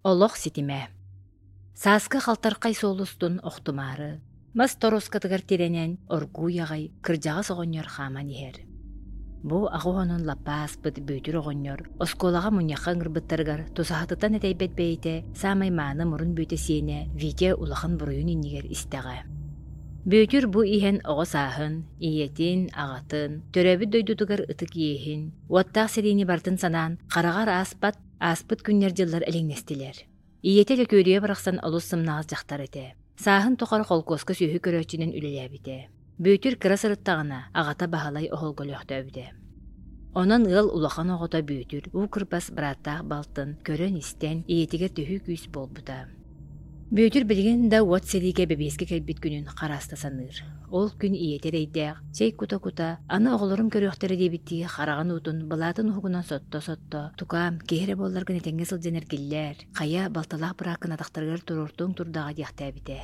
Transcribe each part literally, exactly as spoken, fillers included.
Олох ситимэ. Сааскы халтархай суол устун охтумаары, мас торуоскатыгар тирэнэн оргууй аҕай кырдьаҕас оҕонньор хааман иһэр. Бу аҕа уонун лаппа ааспыт Бүөтүр оҕонньор оскуолаҕа мунньахха ыҥырбыттарыгар тусаһатыттан этэйбэт бэйэтэ саамай мааны мурун бүөтэ сиэнэ Витя улахан буруйун иннигэр истэҕэ. Бүөтүр бу иһэн оҕо сааһын, ийэтин, аҕатын, төрөөбүт дойдутугар ытык иэһин, уоттаах сэриини барытын санаан хараҕар ааспат, ааспыт күннэр-дьыллар элэҥнэстилэр. Ийэтэ Лөкүөрүйэ барахсан олус сымнаҕас дьахтар этэ. Сааһын тухары холкуоска сүөһү көрөөччүнэн үлэлээбитэ. Бүөтүр кыра сырыттаҕына, аҕата Баһылай оһолго өлөөхтөөбүтэ. Онон ыал улахан оҕото Бүөтүр уу кырбас бырааттаах балтын көрөн-истэн, ийэтигэр төһүү күүс буолбута. Бүөтүр билигин да уот сэриигэ бэбиэскэ кэлбит күнүн харааста саныыр. Ол күн ийэтэ эрэйдээх, чэй кута-кута, аны оҕолорум көрүөхтэрэ диэбиттии хараҕын уутун былаатын уһугунан сотто-сотто, «Тукаам, киһи эрэ буолларгын этэҥҥэ сылдьан эргиллээр, хайа, балталаах бырааккын атахтарыгар туруортуоҥ турдаҕа» диэхтээбитэ.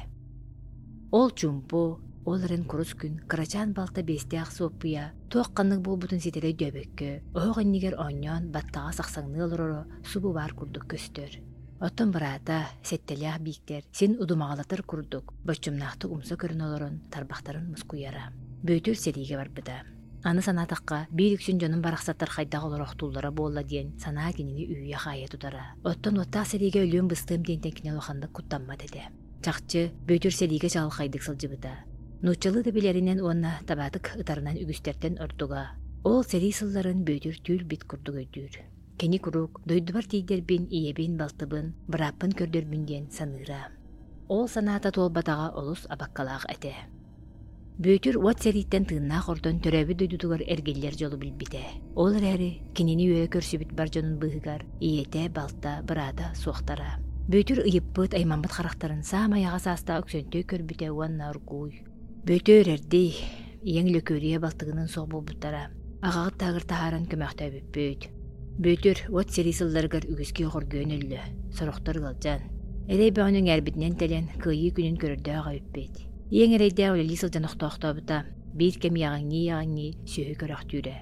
Ол чуумпу, ол эрэн курус күн кырачаан балта биэстээх Суоппуйа туох ханнык буолбутун ситэри өйдөөбөккө, оһох иннигэр оонньоон баттаҕа сахсаҥныы олороро субу баар курдук көстөр. Оттон быраата, сэттэлээх Бииктэр, син удумаҕалатар курдук, боччумнаахтык умса көрөн олорон тарбахтарын мускуйара. Бүөтүр сэриигэ барбыта. Аны санаатахха, биир үксүн дьонум барахсаттар хайдах олорохтууллара буолла диэн санаа кинини үүйэ-хаайа тутара. Оттон уоттаах сэриигэ өлүөм-быстыам диэнтэн кини улаханнык куттаммат этэ. Чахчы, Бүөтүр сэриигэ чаҕылхайдык сылдьыбыта. Нууччалыы да билэринэн уонна табаатык ытарынан үгүстэртэн ордуга. Ол сэрии сылларын Бүөтүр түүл-бит курдук өйдүүр. Кини куруук дойдубар тиийдэрбин, ийэбин, балтыбын, бырааппын көрдөрбүн диэн саныыра. Ол санаата туолбатаҕа олус абаккалаах этэ. Бүөтүр уот сэрииттэн тыыннаах ордон төрөөбүт дойдутугар эргиллэр дьолу билбитэ. Ол эрээри кинини үөрэ көрсүбүт бар дьонун быыһыгар ийэтэ, балта, быраата суохтара. Бүөтүр ыйыппыт, аймаммыт харахтарын саамай аҕа саастаах Өксөнтөй көрбүтэ уонна оргууй. Бүөтүр эрдий, ийэҥ Лөкүөрүйэ балтыгыныын суох буолбуттара. Аҕаҕыт таагыр таһааран көмөхтөөбүппүт. Бүөтүр уот сэрии сылларыгар үгүскэ хоргуйан өллө, сорохтор ыалдьан. Эрэй бөҕөнү эҥээрбитинэн тэлэн, кыайыы күнүн көрөрдөөх эбиппит. Ийэҥ эрэйдээх үлэлии сылдьан охтоохтообута, биир кэм иэҕэҥнии-иэҕэҥнии сүөһү көрөхтүүрэ.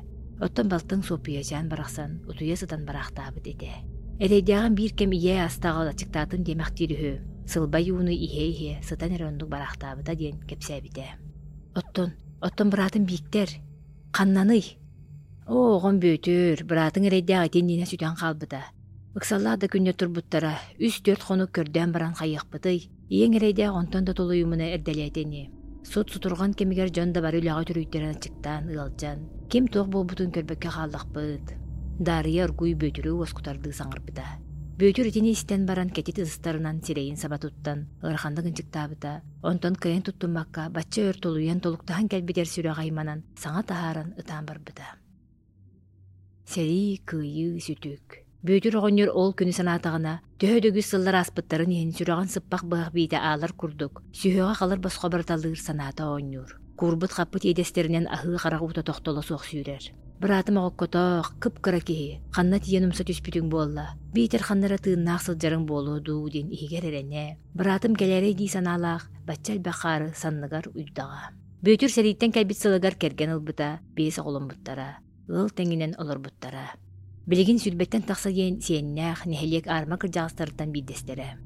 Оттон балтыҥ Суоппуйачаан барахсан утуйа сытан бараахтаабыт этэ. Эрэйдээҕин биир кэм ийээ астааҕыл аччыктаатын диэмэхтиир үһү, сылбай ууну иһэ-иһэ сытан эрэ оннук бараахтаабыта диэн кэпсээбитэ. Оттон, оттон быраатым Бииктэр, ханнаный? Оо, оҕом Бүөтүр, быраатыҥ эрэйдээх ити иннинэ сүтэн хаалбыта. Ыксаллаах да күннэр турбуттара, үс-түөрт хонук көрдөөн баран хайыахпытый, ийэҥ эрэйдээх онтон да тулуйумуна эрдэлээтэ ини. Сут сутурҕан кэмигэр дьон да бары үлэҕэ үтүрүйтэрэн аччыктаан, ыалдьан, ким туох буолбутун көрбөккө хааллахпыт. Даарыйа оргууй Бүөтүрү уоскутардыы саҥарбыта. Бүөтүр итини истэн баран кэтит ытыстарынан сирэйин саба туттан, ыараханнык ынчыктаабыта, онтон кыайан туттуммакка бачча өр тулуйан толуктаһан кэлбит эр сүрэҕэ айманан, саҥа таһааран ытаан барбыта. Сэрии, кыайыы, сүтүк. Бүөтүр оҕонньор ол күнү санаатаҕына, төһө да үгүс сыллар ааспыттарын иһин сүрэҕин сыппах быһах биитэ аалар курдук, сүһүөҕэ халыр босхо барыталыыр санаата оонньуур. Куурбут-хаппыт иэдэстэринэн аһыы харах уута тохтоло суох сүүрэр. Быраатым оҕоккотоох, кып-кыра киһи, ханна тиийэн умса түспүтүҥ буолла, биитэр ханна эрэ тыыннаах сылдьарыҥ буолуо дуу диэн иһигэр эрэнэ, быраатым кэлээрэй дии санаалаах, бачча элбэх хаары санныгар уйдаҕа. Бүөтүр сэрииттэн кэлбит сылыгар кэргэн ылбыта, биэс оҕоломмуттара, ыал тэҥинэн олорбуттара. Билигин сүүрбэттэн тахса диэн сиэннээх нэһилиэк аарма кырдьаҕастарыттан биирдэстэрэ.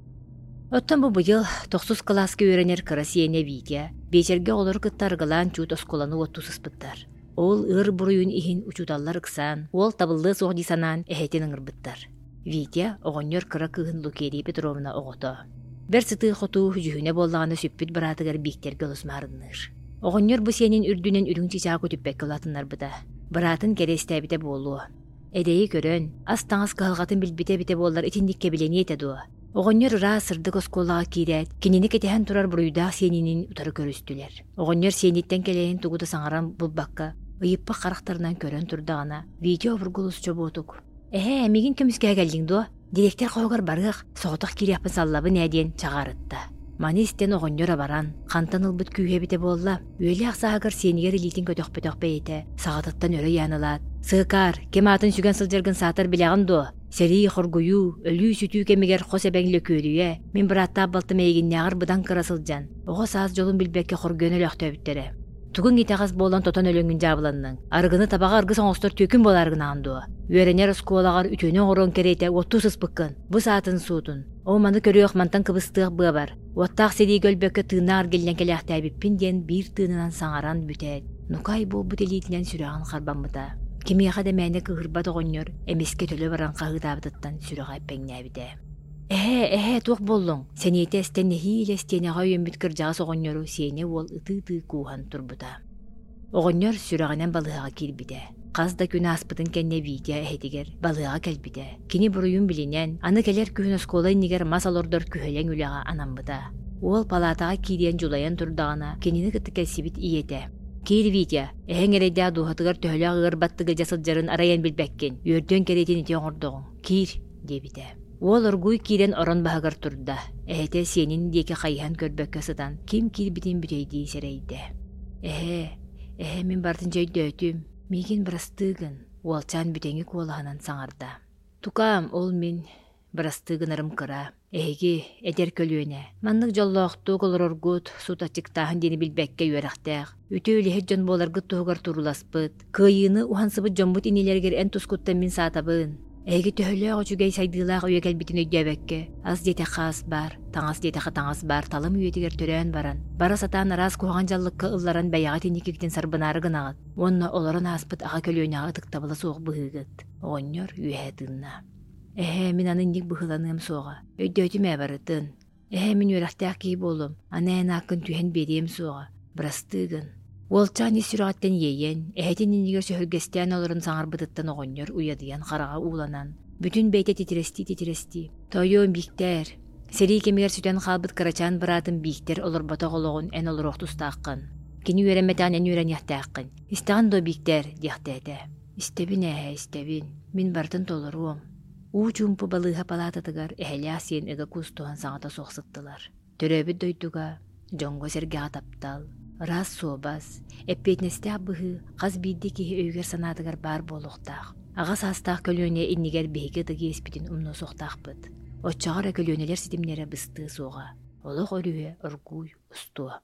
Оттон бу быйыл тохсус кылааска үөрэнэр кыра сиэнэ Витя биэчэргэ оҕолору кытта арыгылаан чуут оскуоланы уоттуу сыспыттар. Ол ыар буруйун иһин учууталлар ыксаан, уол табыллыа суох дии санаан эһэтин ыҥырбыттар. Витя оҕонньор кыра кыыһын Лукерия Петровна оҕото. Бэрт сытыы-хотуу дьүһүнэ буоллаҕына сүппүт быраатыгар Бииктэргэ олус маарынныыр. Оҕонньор бу сиэнин үрдүнэн үрүҥ чычаах көтүппэккэ улаатыннарбыта. Быраатын кэриэстээбитэ буолуо. Эрэйи көрөн, ас-таҥас кыһалҕатын билбитэ эбитэ буоллар итинник кэбилэниэ этэ дуо? Оҕонньор ыраас сырдык оскуолаҕа киирээт, кинини кэтэһэн турар буруйдаах сиэнинин утары көрүстүлэр. Оҕонньор сиэниттэн кэлэйэн тугу да саҥаран булбакка, ыйыппах харахтарынан көрөн турдаҕына, Витя обургу олус чобуотук. «Эһээ, миигин көмүскэһэ кэллиҥ дуо? Дириэктэр хоһугар барыах, соҕотох киириэхпин саллабын ээ» диэн чаҕаарытта. Маны истэн оҕонньор абаран, хантан ылбыт күүһэ эбитэ буолла, үөлээх сааһыгар сиэнигэр илиитин көтөхпөтөх бэйэтэ, саҕатыттан өрө ыйаан ылаат, «Сыакаар, ким аатын сүгэн сылдьаргын саатар билэҕин дуо? Сэрии, хоргуйуу, өлүү-сүтүү кэмигэр хос эбэҥ Лөкүөрүйэ, мин бырааттаах балтым эйигиннээҕэр быдан кыра сылдьан, оҕо саас дьолун билбэккэ хоргуйан өлөөхтөөбүттэрэ. Тугуҥ итэҕэс буолан тотон өлөҥҥүн дьаабыланныҥ, арыгыны табаҕа аргыс оҥостор түөкүн буолаарыгынаҕын дуо? Үөрэнэр оскуолаҕар үтүөнү оҥоруоҥ кэриэтэ уоттуу сыспыккын, бу саатын суутун, Оо, маны көрүөх, мантан кыбыстыах быабар, уоттаах сэриигэ өлбөккө тыыннаах эргиллэн кэлээхтээбиппин диэн биир тыынынан саҥаран бүтээт, нукаай буолбут илиитинэн сүрэҕин харбаммыта. Кимиэхэ да мээнэ кыыһырбат оҕонньор эмискэ төлө баран хаһыытаабытыттан сүрэҕэ эппэҥнээбитэ. Эһээ, эһээ, туох буоллуҥ? Сэниэтэ эстэн нэһиилэ истиэнэҕэ өйөммүт кырдьаҕас оҕонньору сиэнэ уол ытыы-ытыы кууһан турбута. Оҕонньор сүрэҕинэн балыыһаҕа киирбитэ. Хас да күн ааспытын кэннэ Витя эһэтигэр балыыһаҕа кэлбитэ. Кини буруйун билинэн, аны кэлэр күһүн оскуола иннигэр мас олордор күһэлэҥ үлэҕэ анаммыта. Уол палаатаҕа киириэн дьулайан турдаҕына, кинини кытта кэлсибит ийэтэ: «Киир, Витя, эһэҥ эрэйдээх дууһатыгар төһөлөөх ыар баттыга дьэ сылдьарын арай эн билбэккин, үөрдүөн кэриэтин ити оҥордоҕуҥ, киир», диэбитэ. Уол оргууй киирэн орон баһыгар турда. Эһэтэ сиэнин диэки хайыһан көрбөккө сытан, ким киирбитин бүтэйдии сэрэйдэ. «Эһээ, эһээ, мин барытын дьэ өйдөөтүм, миигин бырастыы гын», уолчаан бүтэҥи куолаһынан саҥарда. «Тукаам, ол мин бырастыы гынарым кыра. Эһиги, эдэр көлүөнэ, маннык дьоллоохтук олороргут, сут аччыктааһын диэни билбэккэ үөрэхтээх, үтүө үлэһит дьон буоларгыт туһугар турууласпыт, кыайыыны уһансыбыт дьоммут иннилэригэр эн тускуттан мин саатабын. Эһиги төһөлөөх үчүгэй сайдыылаах үйэ кэлбитин өйдөөбөккө, ас диэтэххэ ас баар, таҥас диэтэххэ таҥас баар талым үйэтигэр төрөөн баран, бара сатаан араас куһаҕан дьаллыкка ылларан бэйэҕит инникигитин сарбынаары гынаҕыт уонна олорон ааспыт аҕа көлүөнэҕэ ытыктабыла суох быһыыгыт. Оҕонньор үөһэ тыынна. Эһээ, мин аны инник быһыыланыам суоҕа. Өйдөөтүм ээ барытын. Эһээ, мин үөрэхтээх киһи буолуом. Аны эн ааккын түһэн биэриэм суоҕа. Бырастыы гын. Уолчаан ис сүрэҕиттэн иэйэн, эһэтин иннигэр сөһүргэстээн олорон саҥарбытыттан оҕонньор уйадыйан хараҕа ууланан, бүтүн бэйэтэ титирэстии-титирэстии, «Тоойуом, Бииктээр, сэрии кэмигэр сүтэн хаалбыт кырачаан быраатым Бииктэр олорботох олоҕун эн олоруох тустааххын. Кини үөрэммэтэҕин эн үөрэниэхтээххин. Истэҕин дуо, Бииктээр?» диэхтээтэ. «Истэбин эһээ, истэбин. Мин барытын толоруом». Уу чуумпу балыыһа палаататыгар эһэлээх сиэн ыга куустуһан саҥата суох сыттылар. Төрөөбүт дойдуга, дьоҥҥо-сэргэҕэ таптал, ыраас суобас, эппиэтинэстээх быһыы хас биирдии киһи өйүгэр-санаатыгар баар буолуохтаах. Аҕа саастаах көлүөнэ иннигэр биһиги ытык иэспитин умнуо суохтаахпыт. Оччоҕо эрэ көлүөнэлэр ситимнэрэ быстыа суоҕа, олох өрүһэ оргууй устуо.